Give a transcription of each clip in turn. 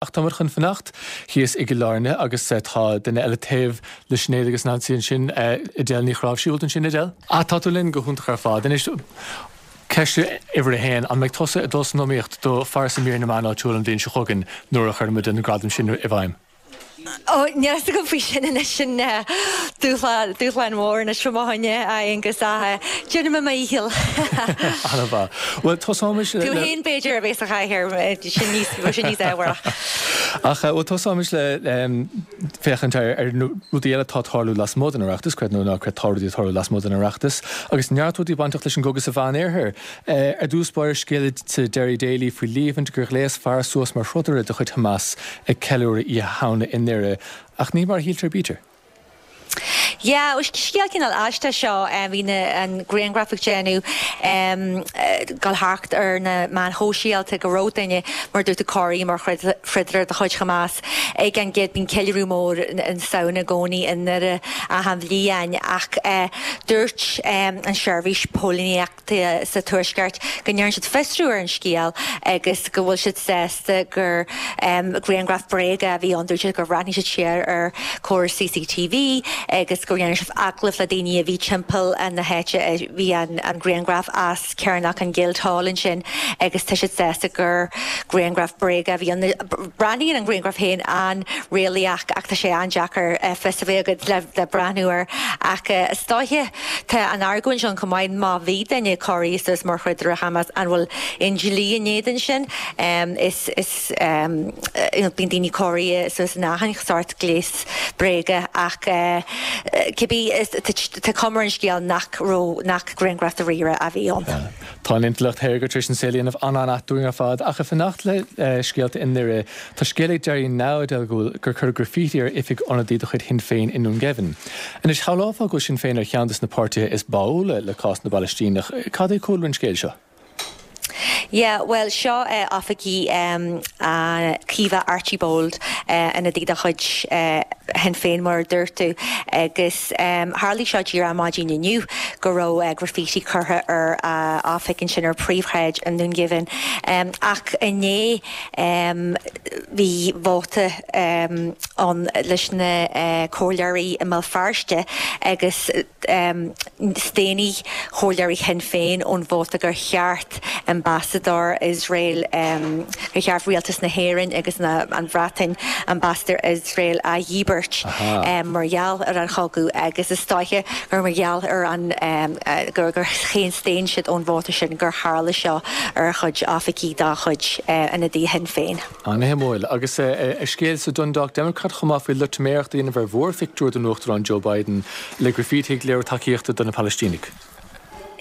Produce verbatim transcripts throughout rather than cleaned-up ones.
Ach táimid chun fanacht thíos i gCill Airne agus tá duine eile taobh le Sinéad agus Nancy ansin, Edel Ní Chnáimhsí ansin Edel. Á tá tú linn go hiontach ar fad. Anois ceist uimhir a haon, an mbeidh tusa ag dul san iomaíocht do phearsa mír na meán áitiúil an bhliain seo chugainn nuair a chuirfimid an gradam sin i bhfeidhm? Ó níl a fhios agam faoi sin anois sin dúshlán dúshlán mór anois fá mo choinne a Aonghus ach déanfaidh mé mo dhícheall. An-mhaith. Bhuel tosóimis le Tú féin b'fhéidir a bheith sa chathaoir sin níos sin níos ábharach. Ach bhuel tosóimis le féachaint ar ar na rudaí eile atá ag tarlú lasmuigh den Oireachtas, creid nó ná creid tá rudaí ag tarlú lasmuigh den Oireachtas agus neart rudaí bainteach leis an gcogadh sa Mheánoirthear. Ar dtús báire scéal sa Derry Daily faoi líomhaint gur ghléas fear suas mar throdaire de chuid Hamas ag ceiliúradh Oíche Shamhna i nDoire, ach ní mar a shíltear b'fhéidir. Yeah, scéal cineál aisteach seo, bhí na an grianghraf ag déanamh dul thart ar na meáin shóisialta go raibh duine mar dúirt tú cóirithe mar throdaire de chuid Hamas ag an gcéad bíonn ceiliúradh mór na Samhna i gcónaí i nDoire achan bhliain ach dúirt an seirbhís póilíneachta sa Tuaisceart go ndearna siad fiosrú ar an scéal agus go bhfuil siad sásta gur grianghraf bréige a bhí ann. Dúirt siad gur bhreathnaigh siad siar ar chóras C C T V agus gur dhearna siad agallamh le daoine a bhí timpeall na háite a bhí an grianghraf as Cearnóg an Guildhall ansin agus tá siad sásta gur grianghraf bréige a bhí ann. Breathnaíonn an grianghraf féin an-réalaíoch ach tá sé an-deacair fios a bheith agat le breathnú air ach is dóiche tá an argóint ann chomh maith má bhí duine cóirithe suas mar throdaire Hamas an bhfuil aon dlí in éadan sin is is bíonn daoine cóirithe suas in achan sórt gléas bréige ach cibé tá cuma ar an scéal nach raibh nach grianghraf dáiríre a bhí ann. Tá an intleacht shaorga tar éis an saol a dhéanamh an-an-ait dúinn ar fad ach ag fanacht le scéalta i nDoire tá scéal ag Derry Now go gur cuireadh graffiti ar oifig ionadaí de chuid Shinn Féin i nDún Geimhin. Anois shamhlófá go Sinn Féin ar cheann de na páirtithe is báúla le cás na bPalaistíneach, cad é cúlra an scéil seo? Yeah, well seo uh, oifigí um, uh, Caoimhe Archibald uh, ionadaí de chuid uh, Shinn Féin mar dúirt tú agus um, tharla seo díreach maidin inniu go raibh uh, graffiti curtha ar uh, oifig sin ar príomhshráid i nDún Geimhin. Um, ach inné um, bhí vóta um, ann leis na uh, comhairleoirí i mBéal Feirste agus um, staon comhairleoirí Shinn Féin ón vóta gur cheart ambasadóir Israel um, gur cheart rialtas na hÉireann agus na, an Bhreatain ambasadóir Israel a dhíbirt um, mar gheall ar an chogadh agus is dóiche gur mar gheall ar an um, uh, gur gur chéin staon siad ón vóta sin gur tharla seo ar chuid oifigí dá chuid uh, ionadaí Shinn Féin. An-shuimiúil agus uh, scéal sa Dundalk Democrat chomh maith faoi loitiméireacht a dhéanamh ar mhúrphictiúr den Uachtarán Joe Biden le graffiti ag léiriú tacaíochta do na Palaistínigh.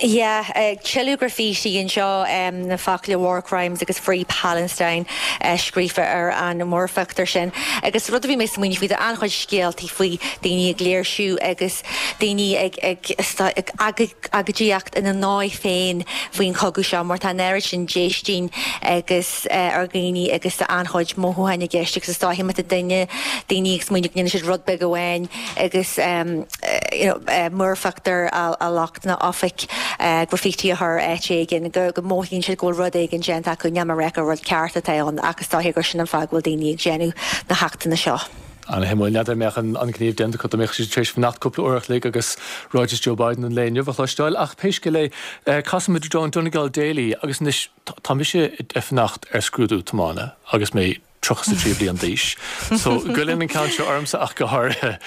Yeah, uh, tuilleadh graffiti anseo um, na focail war crimes agus Free Palestine uh, scríofa ar an múrphictiúr sin. Agus rud a bhí mé smaoineamh faoi an-chuid scéaltaí faoi daoine ag léirsiú agus daoine ag ag ag agóidíocht ina ndóigh féin faoin chogadh seo mar tá an sin déistin agus uh, ar dhaoine agus an-chuid mothúchán i gceist agus is dóiche má tá duine daoine ag smaoineamh ndéanann siad rud beag amháin agus um, uh, you know, uh, múrphictiúr a, a lucht na oifig uh, graffiti a chur áit éigin go go mothaíonn siad go bhfuil rud éigin déanta acu ní mar gur rud ceart atá ann agus dóiche gur sin an fáth go bhfuil daoine ag déanamh na hachtanna seo. An-shuimiúil n'fheadar an mbeadh an gníomh déanta acu dá mbeadh siad tar éis fanacht cúpla uair an chloig agus ráiteas Joe Biden an lae inniu a chloisteáil ach pé scéal é casfaimid don Donegal Daily agus anois tá mise ag fanacht ar scrúdú tiomána agus mé tríocha trí bliain d'aois. So goilleann an ceann seo ormsa ach go háirithe.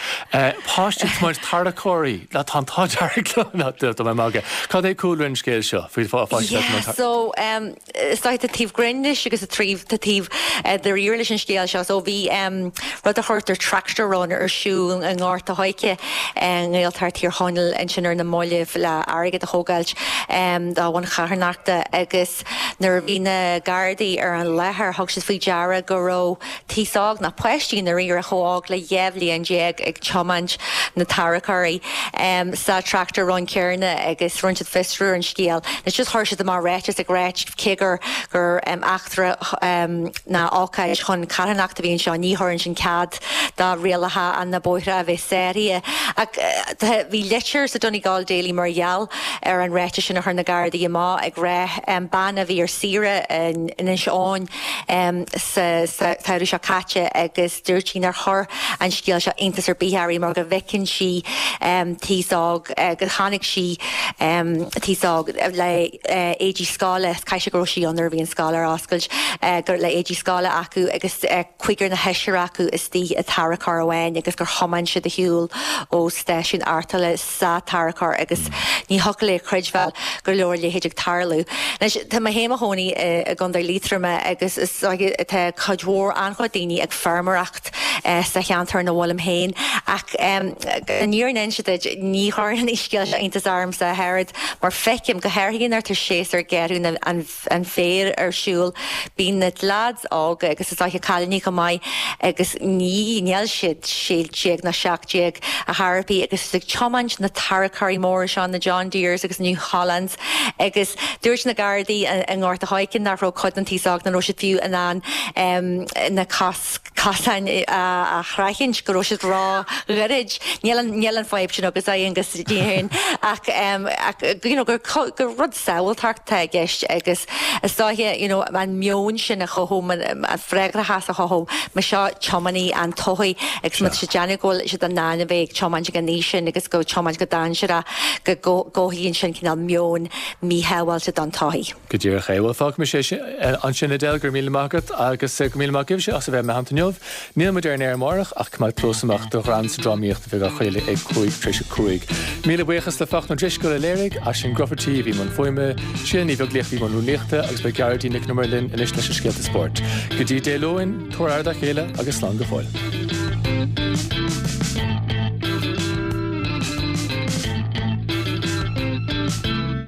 Páistí tiomáint tarracóirí le tá tá mé magadh. Cad é cúlra an scéil seo faoi pháistí Yeah, so um, is tá taobh grinn leis agus a tríomh tá taobh uh, dáiríre leis an scéal seo, so bhí um, rud a chuirtear tractor run ar siúl i nGort an Choirce nGaeltacht Thír Chonaill ansin ar na mallaibh le airgead a thógáil um, dá bhun charthanachta agus nuair a bhí na Gardaí ar an láthair thug siad faoi deara go raibh aos óg na páistí na rí a chóág le dhéhlion déag ag tiomáint na tarracóirí um, sa tractor run céanna agus rinne siad fiosrú an scéal. Is just chuir siad amach ráiteas ag rá cé gur gur um, eachtra um, ná ócáid chun carthanacht a bhí anseo ní thugann sin cead do rialacha an na bóithre a bheith sáraithe. Ach uh, bhí litir sa Donegal Daily mar gheall ar an ráiteas sin a chuir na Gardaí amach ag rá um, bean a bhí ar saoire in Inis Eoghain um, sa samhradh seo caite agus dúirt sí nár chuir an scéal seo iontas ar bith uirthi mar go bhfeiceann sí aos óg gur chonaic sí aos óg le éadaí scoile, caithfidh sé go raibh sí ann nuair a bhí an scoil ar oscailt, gur le éadaí scoile acu agus cúigear nó seisear acu istigh i dtarracóir amháin agus gur thiomáin siad ar shiúl ó stáisiún arrtála sa tarracóir agus ní thiocfadh léi a chreidbheáil go raibh a leithéid ag tarlú. Anois, tá mé féin i mo chónaí i gContae Liatroma agus is dóiche tá cuid mhór, an-chuid daoine ag feirmeoireacht sa cheantar ina bhfuilim féin ach an fhírinne a inse duit, ní chuireann an scéal seo iontas ormsa ach oiread mar feicim, go háirithe nuair atá séasúr gearradh an féir ar siúl, bíonn na leaids óga agus is dóiche cailíní chomh maith agus ní, níl siad sé déag ná seacht déag ar chor ar bith agus ag tiomáint na tarracóirí móra seo, na John Deeres agus New Hollands agus dúirt na Gardaí i nGort a' Choirce nach raibh cuid den t-aos óg, nach raibh siad fiú in ann na cosáin a shroichint, go raibh siad ró-ghairid. Níl an, níl an fadhb sin agat, Aonghus, ní ach, ach you know, gur, gur rud sábháilteachta atá i gceist agus is dóiche you know, an meon sin a chothú, an freagrachas a chothú, mar seo tiománaí an todhchaí agus má tá siad ag déanamh go bhfuil siad in ann a bheith ag tiomáint ag an aois sin agus go tiomáint go dainséarach go gcothaíonn sin cineál meon míshábháilte don todhchaí. Go díreach é. Bhuel, fágfaidh mise ansin Edel, go raibh míle maith agat agus go míle maith agaibhse as a bheith i mo theannta inniu. Níl muid ar an aer amárach ach coimeád cluas amach do Ghreann sa Drámaíocht a bheidh á chraoladh ag cúig tar éis a cúig. Míle buíochas le Fachtna Ó Drisceoil a léirigh, Aisling Grufferty a bhí i mbun fuaime, Síle Ní Bheaglaoich a bhí i mbun rúnaíochta agus beidh Gearóidín Nic an Iomaire linn anois leis na scéalta spóirt. Go dtí Dé Luain, tabhair aire dá chéile agus slán go fóill.